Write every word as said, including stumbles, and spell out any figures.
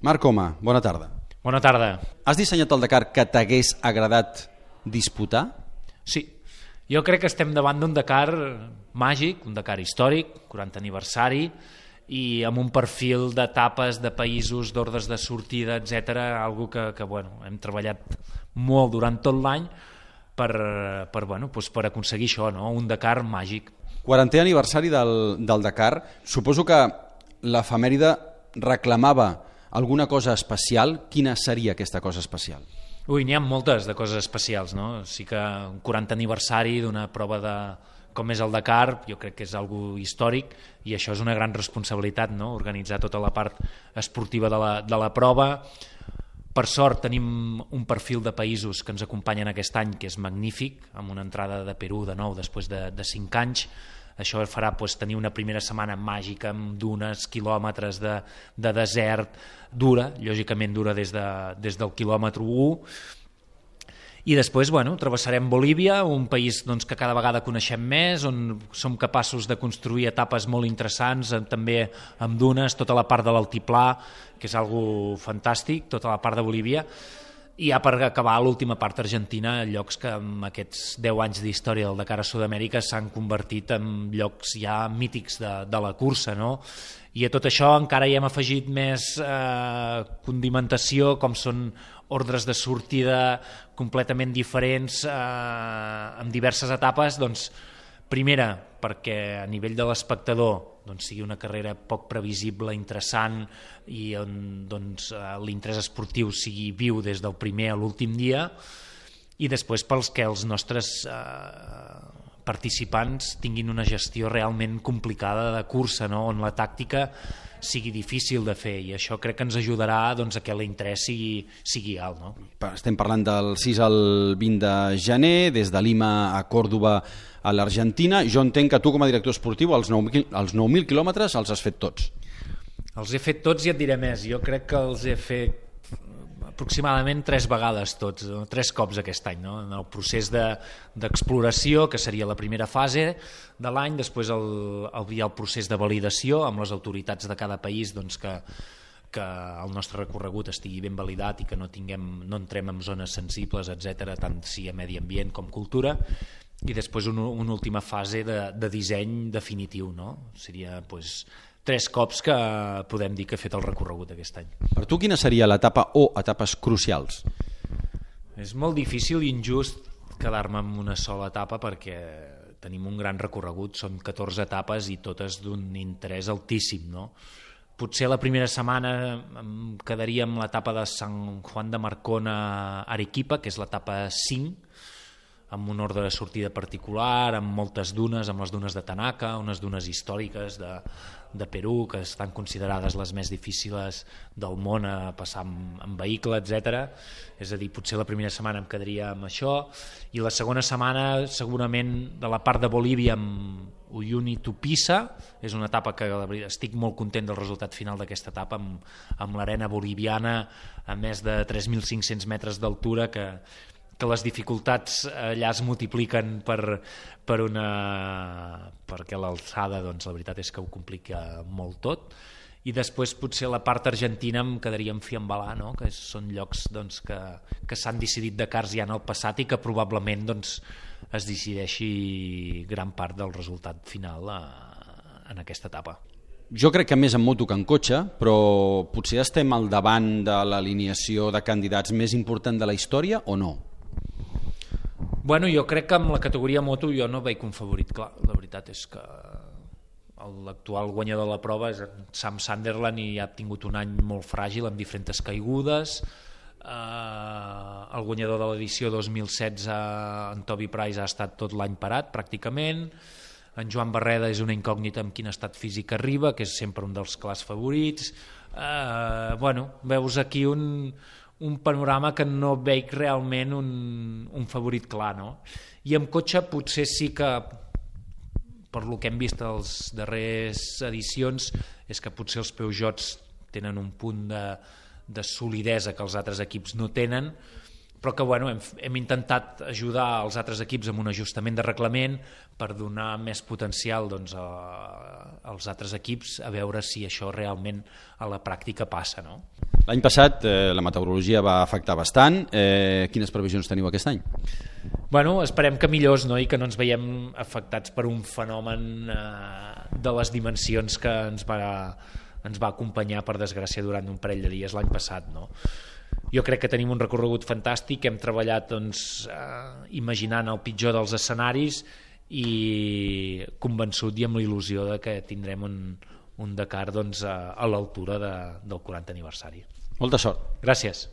Marc Coma, bona tarda. Bona tarda. Has dissenyat el Dakar que t'hagués agradat disputar? Sí, jo crec que estem davant d'un Dakar màgic, un Dakar històric, quaranta aniversari, i amb un perfil d'etapes, de països, d'ordres de sortida, etcètera, algo que, que bueno, hem treballat molt durant tot l'any per, per, bueno, doncs per aconseguir això, no? Un Dakar màgic. quarantè aniversari del, del Dakar. Suposo que l'efemèride reclamava alguna cosa especial. Quina seria aquesta cosa especial? Ui, n'hi ha moltes de coses especials, no? Sí que un quarantè aniversari d'una prova de com és el Dakar, jo crec que és algo històric i això és una gran responsabilitat, no? Organitzar tota la part esportiva de la, de la prova. Per sort tenim un perfil de països que ens acompanyen aquest any que és magnífic, amb una entrada de Perú de nou després de, de cinc anys. Això farà doncs, tenir una primera setmana màgica amb dunes, quilòmetres de, de desert, dura, lògicament dura des, de, des del quilòmetre u. I després bueno, travessarem Bolívia, un país doncs, que cada vegada coneixem més, on som capaços de construir etapes molt interessants, també amb dunes, tota la part de l'altiplà, que és algo fantàstic, tota la part de Bolívia, i ja per acabar l'última part Argentina, llocs que en aquests deu anys d'història del Dakar a Sud-amèrica s'han convertit en llocs ja mítics de, de la cursa, no? I a tot això encara hi hem afegit més eh, condimentació, com són ordres de sortida completament diferents eh, en diverses etapes. Doncs, primera, perquè a nivell de l'espectador doncs, sigui una carrera poc previsible, interessant, i on doncs, l'interès esportiu sigui viu des del primer a l'últim dia, i després pels que els nostres eh, participants tinguin una gestió realment complicada de cursa, no? On la tàctica sigui difícil de fer, i això crec que ens ajudarà doncs, a que l'interès sigui, sigui alt. No? Estem parlant del sis al vint de gener, des de Lima a Còrdova a l'Argentina. Jo entenc que tu com a director esportiu els nou mil quilòmetres els has fet tots. Els he fet tots i et diré més. Jo crec que els he fet aproximadament tres vegades tots, tres cops aquest any, no? En el procés d'exploració, que seria la primera fase de l'any, després el, el, hi ha el procés de validació amb les autoritats de cada país, doncs que, que el nostre recorregut estigui ben validat i que no, tinguem, no entrem en zones sensibles, etcètera, tant si a medi ambient com cultura, i després una, una última fase de, de disseny definitiu, no? Seria doncs, tres cops que podem dir que he fet el recorregut aquest any. Per tu quina seria l'etapa o etapes crucials? És molt difícil i injust quedar-me en una sola etapa perquè tenim un gran recorregut, són catorze etapes i totes d'un interès altíssim, no? Potser la primera setmana em quedaria amb l'etapa de Sant Juan de Marcona a Arequipa, que és l'etapa cinc, amb un ordre de sortida particular, amb moltes dunes, amb les dunes de Tanaka, unes dunes històriques de, de Perú, que estan considerades les més difícils del món a passar amb, amb vehicle, etcètera. És a dir, potser la primera setmana em quedaria amb això, i la segona setmana segurament de la part de Bolívia amb Uyuni Tupisa, és una etapa que estic molt content del resultat final d'aquesta etapa, amb, amb l'arena boliviana a més de tres mil cinc-cents metres d'altura, que que les dificultats allà es multipliquen per, per una... perquè l'alçada, doncs, la veritat és que ho complica molt tot. I després potser la part argentina em quedaria en Fiambalà, no? Que són llocs doncs, que, que s'han decidit Dakars ja en el passat i que probablement doncs, es decideixi gran part del resultat final a, en aquesta etapa. Jo crec que més en moto que en cotxe, però potser estem al davant de l'alineació de candidats més important de la història o no? Bueno, jo crec que amb la categoria moto jo no veig un favorit clar. La veritat és que l'actual guanyador de la prova és Sam Sunderland i ha tingut un any molt fràgil amb diferents caigudes. Uh, el guanyador de l'edició dos mil setze, en Toby Price, ha estat tot l'any parat pràcticament. En Joan Barreda és una incògnita amb quin estat físic arriba, que és sempre un dels clars favorits. Uh, bueno, veus aquí un... un panorama que no veig realment un, un favorit clar, no? I amb cotxe potser sí que, per lo que hem vist a les darreres edicions, és que potser els Peugeots tenen un punt de, de solidesa que els altres equips no tenen, però que bueno, hem, hem intentat ajudar els altres equips amb un ajustament de reglament per donar més potencial doncs, a, als altres equips a veure si això realment a la pràctica passa. No? L'any passat eh, la meteorologia va afectar bastant. Eh, quines previsions teniu aquest any? Bueno, esperem que millors, no? I que no ens veiem afectats per un fenomen eh, de les dimensions que ens va, ens va acompanyar, per desgràcia, durant un parell de dies l'any passat. No? Jo crec que tenim un recorregut fantàstic, hem treballat doncs, eh, imaginant el pitjor dels escenaris i convençut i amb la il·lusió de que tindrem un, un Dakar doncs, a, a l'altura de, del quaranta aniversari. Molta sort. Gràcies.